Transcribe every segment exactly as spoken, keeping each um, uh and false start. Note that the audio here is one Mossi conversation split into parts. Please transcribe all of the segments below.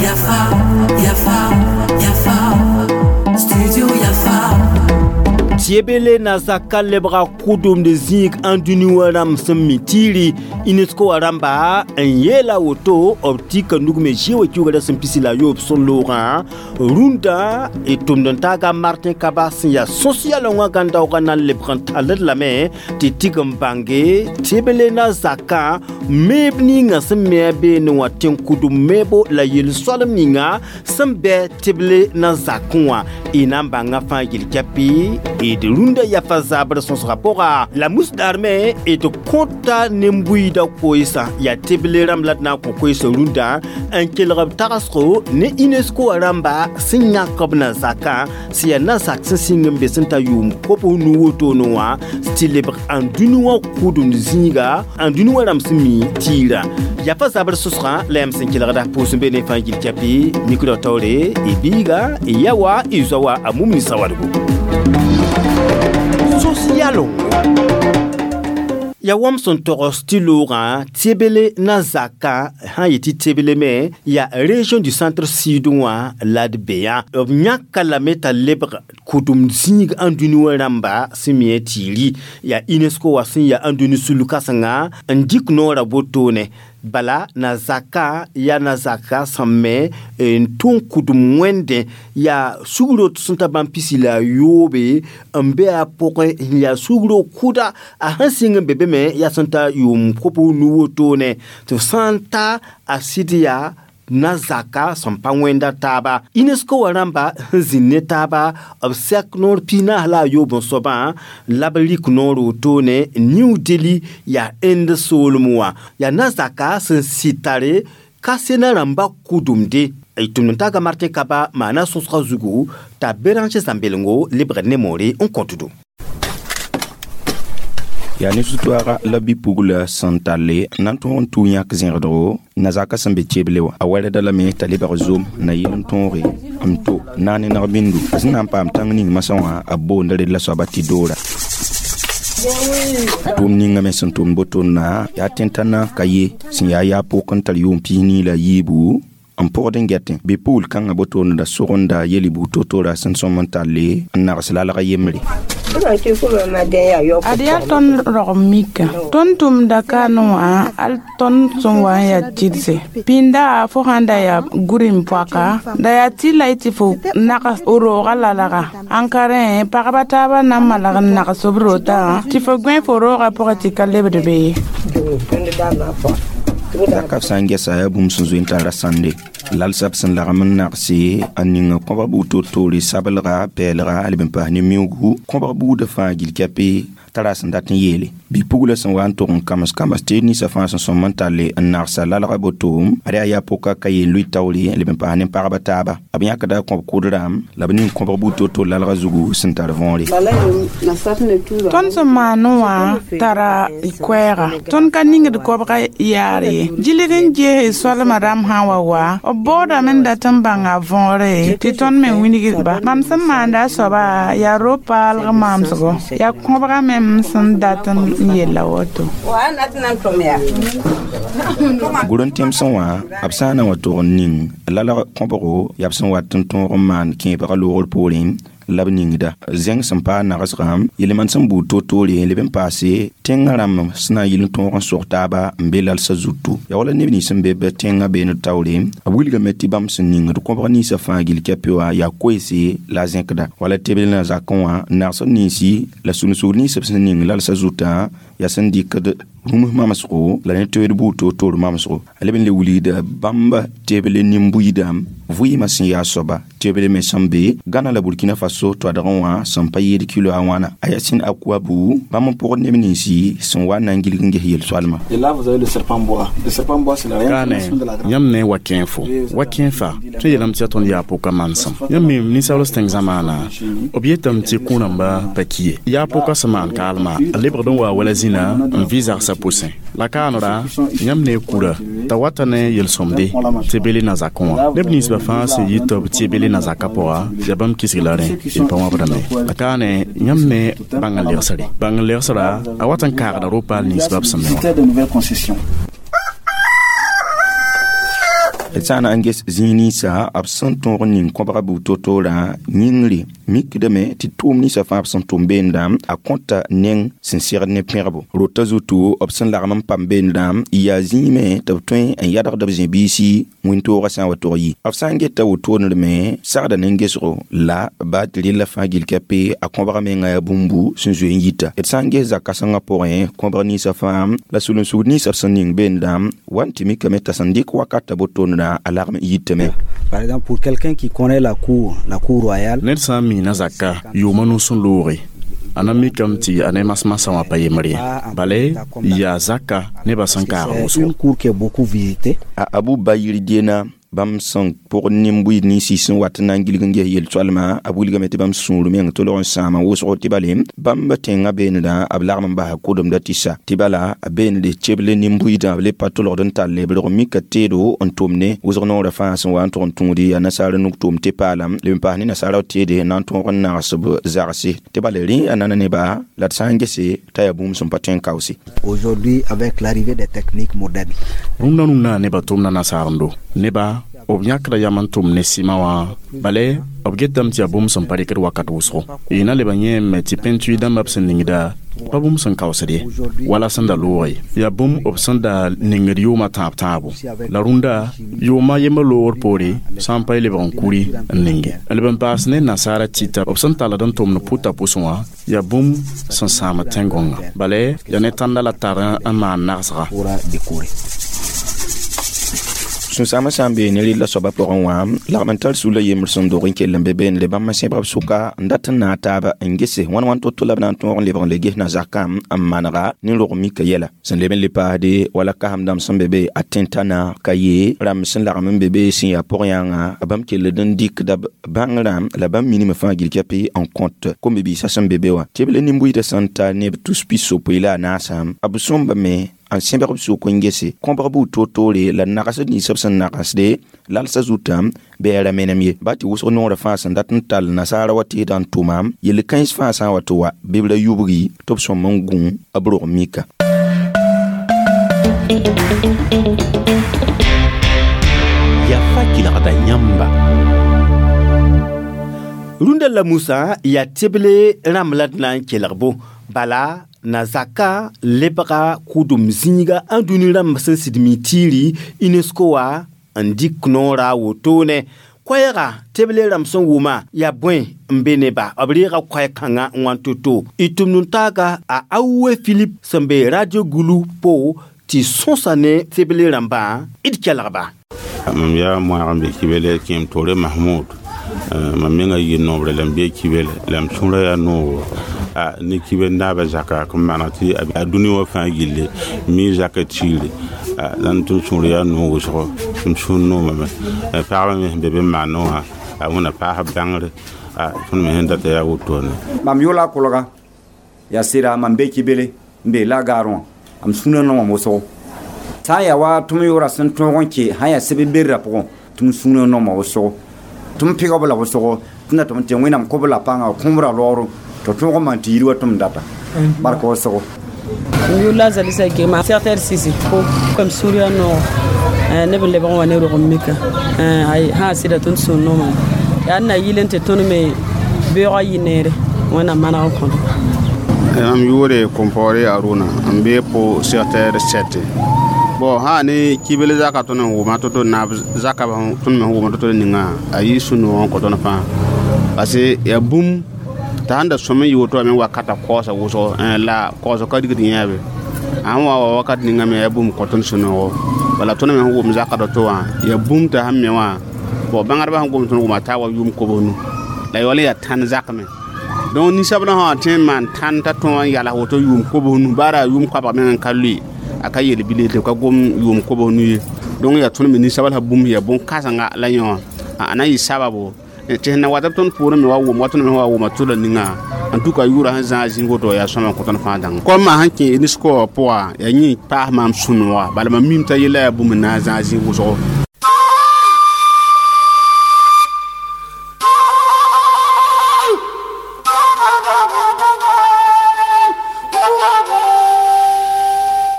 Yafa, Yafa, Yafa, Studio Yafa. Tiebele na zaka lebga kʋdʋmd zĩig ãn dũni wã rãmb sẽn mi tiiri UNESCO wã rãmba n yeela woto b tika nug me zĩ wa kiuga ra sẽn pisi la a yoob sẽn loogã rũndã d tʋmd n taaga Martin Kaba sẽn yaa sõs-yalẽ wã gãn-daoogã na n lebg n talld lame tɩ tig n bãnge tebele na zakã meeb ninga sẽn me a beene wã tẽn-kʋdem meebo la yel-soalem ninga sẽn bɛ teble na zakẽ wã y na n bãnga fãa yel-kɛpɩ d rũndã yafa zabr sõsga pʋga la musdaar me d kõta nen-buiidã koeesã yaa teble rãmb la d na n kõ koeesã rũndã n kelg b tagsgo ne UNESCO wã rãmba sẽn yãk b na zakã sẽn yaa na zak sẽn sɩng n be sẽn ta yʋʋm kob nu wotone wã tɩ lebg ãn dũni wã kʋdemd zĩiga ãn dũni wã rãmb sẽn mi tiirã yafa zabr sõsgã la yãmb sẽn kelgda pʋʋs n be ne fãa yil kɛpɩ mikro taoore y biiga y ya wa y zoa wa a mum ne sawadgo sosialongo ya wãmb sẽn togs tɩ loogã tebele na zakã sã n yetɩ tebele me yaa région du centre sud wã la d be yã b yãka lame t'a lebg kʋdem zĩig ãn dũni wã rãmba sẽn mi tiiri yaa UNESCO wã sẽn yaa ãn dũni sul kãsenga n dɩk noorã wotone bala na zaka yaa na zaka sẽn me n tʋm kʋdem wẽndẽ yaa sugro sẽn ta bãmb pisi la a yoobe n be a pʋgẽ n yaa sugro kʋda a sẽn sɩng n be be me yaa sẽn ta yʋʋm kob nu wotone tɩ f sã n ta a sɩd yaa na zaka sẽn pa wẽnda taaba UNESCO wã rãmba sẽn zĩnd ne taaba b sɛk noor piig naas la a yoob n soabã la b rɩk noor wotone New Delhi yaa Inde soolem wã yaa na zaka sẽn sɩd tare ka sena rãmba kʋdemde y tʋmd n taaga Martin Kaba maana sõsgã zugu t'a Béranger Zãmbelengo lebgd ne moore n kõtdo. Yaa ne sũ-toaaga la bi-pugla sẽn talle n na n tõog n tʋ yãk zẽgdgo na-zakã sẽn be teble wã a wɛrda lame t'a lebg zom na yɩl n tõoge n to na ne nag-bĩndu a sẽn na n paam tãng ning masã wã a boonda red la soaba tɩ doora tʋʋm ninga me sẽn tʋmd botonna yaa tẽn-tãna ka ye sẽn yaa yaa pʋk n tar yʋʋm piis nii la yiibu n pʋgd n gɛtẽ bi-pugl kãngã botonna sogenda yel buud to-tora sẽn sõm n talle n nags lalg yembre. Ad yaa tõnd rogem mika tõnd tʋmda kaane wã al tõnd sẽn wa n yaa tɩdse pĩnda fo sãn da yaa gũrin poaka da yaa tɩ la y tɩ fo nags roogã lalga ãn ka rẽ pagba taabã na n malag n nags b rotã tɩ fo gõe fo roogã pʋgẽ tɩ ka lebd be ye. Zaka f sã n gɛsa yaa bũmb sẽn zoe n tara sãnde lalsã b sẽn lagm n nagse n ning kõbg buud to-toore sabelga pɛɛlga leb n paas ne miuugu kõbg buudã fãa gil kɛpɩ t'a ra sẽn dat n yeele bi-pugla sẽn wa n tʋg n kams kams tɩ ninsã fãa sẽn sõm n talle n nagsa lalga botoom ad yaa yaa pʋka ka yeel lʋɩ taoore leb n paas ne pagba taaba b yãkda kõb kʋd-rãmb la b ning kõbg buud to-to lalga zugu sẽn tar võore. Tõnd sẽn maane wã tara koɛɛga tõnd ka ningd kobga yaar ye gilg n gees soalmã rãmb sã n wa wa b baoodame n dat n bãnga võore tɩ tõnd me wilgd-ba mam sẽn maanda a soaba yaa ro-paalg maamsgo yaa kõbga mem sẽn dat n yella woto. Gʋr n tẽmsẽ wã b sã n na n wa tog n ning lalg kõbgo yaa b sẽn wat n tõog n maan kẽebgã loogr poorẽ la b ningda zẽng sẽn paas nagsgã yel-mand sẽn buud to-toore leb n paase tẽngã rãmb sẽn na n yɩl n tõog n sog taaba n be lalsã zutu yaa wala neb nins sẽn be b tẽngã beene taoore b wilgame tɩ bãmb sẽn ningd kõbg ninsã fãa gil kɛpɩ wã yaa koeese la a zẽkda wala tebl na zakẽ wã nagsd ninsi la sũnsugr nins b sẽn ning lalsã zutã yaa sẽn dɩkd rũms mamsgo la ne toeed buud to-toor mamsgo a leb n le wilgda bãmba teble nin-buiidã vɩɩmã sẽn yaa soaba teble me sẽn be Gana la Burkina Faso toadgẽ wã sẽn pa yeed kilo a wãna a yaa sẽn a kua-bu bãmb n pʋgd neb ninsi sẽn wa n na n gilg n ges yel-soalmã. Et là, vous avez le serpent boa. Le serpent boa, c'est la réincarnation de la grande. Yãmb ne wa kẽe fo wa kẽe fa tõe yeelame tɩ yaa tõnd yaa pʋka mansem yãmb me ninsaals tẽng zamaana b yetame tɩ kũ-rãmba pa ki ye yaa pʋka sẽn maan kaalma a lebgd n waa wala zĩna n vɩ zagsã. kãensã pʋsẽ la kaanra yãmb ne kura t'a wata ne yel-sõmde tɩ bele na zakẽ wã neb ninsbã fãa sẽn yɩ tɩ b tɩ bele na zakã pʋga yaa bãmb kisg la rẽ y pa wãbdame la kaane yãmb ne bãng n legsre bãng n legsra a wat n kaagda ro-paal ninsbã b sẽn me wã. D sã n na n ges zĩig ninsã b sẽn tõog n ning kõbga buud to-toorã yĩngre mikdame tɩ tʋʋm ninsã fãa b sẽn tʋm beendã a kõta neng sẽn segd ne pẽgbo rota zutu b sẽn lagm n pam beendã yaa zĩime tɩ b tõe n yadgd b zĩ-biisi wĩntoogã sã n wa tog yi b sã n geta wotondr me sagda ne gesgo la baa tɩ rella fãa gill ka pe a kõbga menga yaa bũmbu sẽn zoe n yita d sã n ges zak-kãsengã pʋgẽ kõbg ninsã fãa la sul-n-sugd ninsã b sẽn ning beendã wa n tɩ mikame t'a sẽn dɩk wakata botondrã a lagm yitame. Par exemple, pour quelqu'un qui connaît la cour, la cour royale, ned sã n miina zaka yʋʋma nus n looge a na mikame tɩ a ne masmasã wã pa yembre ye bala yaa zaka nebã sẽn kaag wʋsgo. Une cour qui est beaucoup visitée. A Abu Bayir dena bãmb sẽn pʋg nin-buiid ninsi sẽn wat n na n gilg n ges yel-soalmã a wilgame tɩ bãmb sũur meng tolg n sãama wʋsgo tɩ bale bãmb tẽngã beendã b lagm n basa kʋdemda tɩ sa tɩ bala a beende ceble nin-buiidã b le pa tolgd n tall b rog mika teedo n tʋm ne wʋsg noorã fãa sẽn wa n tʋg n tũudi yaa nasaar nuk tʋʋm tɩ paalam leb n paas ne nasaara teede n na n tõog n nags b zagse tɩ bala rẽ a nana neba la d sã n gese t'a yaa bũmb sẽn pa tõe n kaoose. Aujourd'hui, avec l'arrivée des techniques modernes, rũndã rũndã nebã tʋmda nasaarendo neba b yãkda yam n tʋm ne sɩma wã bala b getame tɩ yaa bũmb sẽn pa rɩkd wakat wʋsgo y na leba yẽeme tɩ pẽntui dãmba b sẽn ningda pa bũmb sẽn kaoosd ye wala sẽn da loog ye yaa bũmb b sẽn da ningd yʋʋmã tãab tãabo la rũndã yʋʋma yembr loogr poore sã n pa y lebg n kuri n ninge n leb n paas ne nasaara tɩta b sẽn talld n tʋmd pʋta pʋsẽ wã yaa bũmb sẽn sãamd tẽn-gõnga bala yaa ne tãnda la tar n maan nagsga. Sũnsãamã sã n bee ne rella soabã pʋgẽ wã lagm n tar sula yembr sẽn dog n kell n be beene bãmb n sẽbg b sʋka n dat n naag taaba n gese wãn wãn to-to la b na n tõog n lebg n le ges na zakã n manega ne rog mika yɛla sẽn leb n le paasde wala kasem dãmb sẽn be be a tẽntana ka ye rãmb sẽn lagm n be be sẽn yaa pʋg-yãngã bãmb kelld n dɩkda bãngrã la bãmb minime fãa gill ka pe n kõt kom-bi-biisã sẽn be be wã tɩ b le nin-buiidã sẽn ta neb tus pis-yopoe la a naasã b sõmbame n sẽbg b sʋk n gese kõbg buud to-toore la nagsd nins b sẽn nagsde lalsã zutã bɩ a ra menem ye ba tɩ wʋsg noorã fãa sẽn dat n tall nasaara wa tɩɩdã n tʋma yel-kãens fãa sã n wa tɩ wa bɩ b ra yubgi tɩ b sõm n gũ b rog mika. Yafa kelgda yãmba. Rũndã la Musa yaa teble rãmb la d na n kelgbo bala na zaka lebga kʋdem zĩiga ã dũni rãmb sẽn sɩd mi tiiri UNESCO wa n dɩk noora wotone koɛɛga teble rãmb sẽn wʋma yaa bõe n be neba b reega koɛɛ-kãngã n wãn to-to y tʋmd n taaga a Awe Philip sẽn be Radio Gulu po tɩ sõsa ne teble rãmbã d kelgba. Mam yaa moag n be kibele kẽem toore Mahmoud mam menga yɩ nobre la m be kibele la m sũurã yaa noogo a ne kibel naaba zaka n maneg tɩ a dũni wã fãa gilli mi zaka tiire la n tɩ m sũur yaa noog wʋsgo tɩ m sũur noomame pagba me sẽn be be n maanẽ wã a wẽna paas bãngre tõnd me sẽn data yaa wotone. Mam yʋla kolga yaa sɩda mam be kibele n be la gaar wã m sũurã noomam wʋsgo sã n yaa wa tɩ m yʋʋra sẽn tõog n kẽ sã n yaa seb berrã pʋgẽ tɩ m sũurã nooma wʋsgo tɩ m pɩgb la wʋsgo tɩ na tɩ m tɩ wẽnnaam kob la pãnga kõbra loogr tɩ tõog n maan tɩ yir wa tɩ m data bark wʋsgo. Yʋla zalisa gema secteur sisi ko comme sũurã noog neb n lebg n wa ne rog n mika sã sɩda tõnd sũur noomame yaa n na yɩl n tɩ tõnd me beoogã yɩ neere wẽnnaam maneg n kõdo. Mam yʋʋre Compaoré Aruna n be po secteur sept. Bon sã ne kibel zaka tõnd n wʋma to-to naab zaka tõnd me sẽn wʋma to-to ninga a yɩ sũ-noog n kõ tõnd fãa parce que yaa bũmb t'a sẽn da sõm n yɩ woto wã me wakata kaoosa wʋsgo la kaoosg ka rigd yẽebe a sẽn wa wa wakat ninga me yaa bũmb kõ tõnd sũ-noogo bala tõnd me sẽn wʋm zaka to wã yaa bũmb t'a sẽn me wã bon bãngdbã sẽn gom tõnd wʋma taa wa yʋʋm kobsnu la yaool n yaa tãn zakme donc ninsabdã sã wã tõe n maan tãn t'a tõog n yals woto yʋʋm kobsnu baara yʋʋm koabg meng n ka lʋɩ a ka yel bile tɩ ka gom yʋʋm kobsnu ye donc yaa tõnd me ninsabl sã bũmb yaa bõn-kãsenga la yõ a na yɩ sababo tɩ sẽn na wat b tõnd poorẽ me wa wʋm wa tõnd me wa wʋma tʋla ninga En tout cas yʋʋra sẽn zãag zĩig woto yaa sõma n kõ tõnd fãa dãnga kom sẽn kẽ UNESCO wã pʋga yaa yẽ paas maam sũ-nooga bala mam mim t'a yella yaa bũmb n na n zãag zĩig wʋsgo.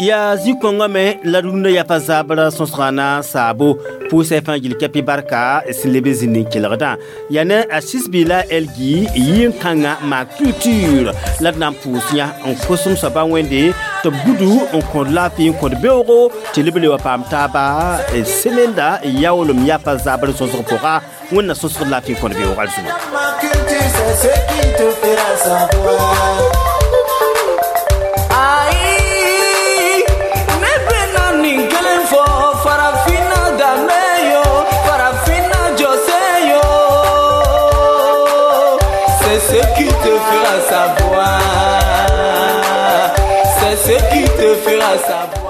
Yaa zĩ-kõngã me la rũndã yafa zabra sõsgã na saabo pʋʋsɛ fãa gil kɛpɩ barka sẽn leb n zĩnd n kelgdã yaa ne a sisbi la elgi yɩ-kãngã maa culture la d na n pʋʋs yã n kosem soaba wẽnde tɩ b gudu n kõd laafɩ n kõd beoogo tɩ leb le wa paam taaba semenda yaoolem yafa zabr sõsg pʋga wẽnna sõsgd laafɩ n kõd beoog alzuma. C'est ce qui te fera savoir. C'est ce qui te fera savoir.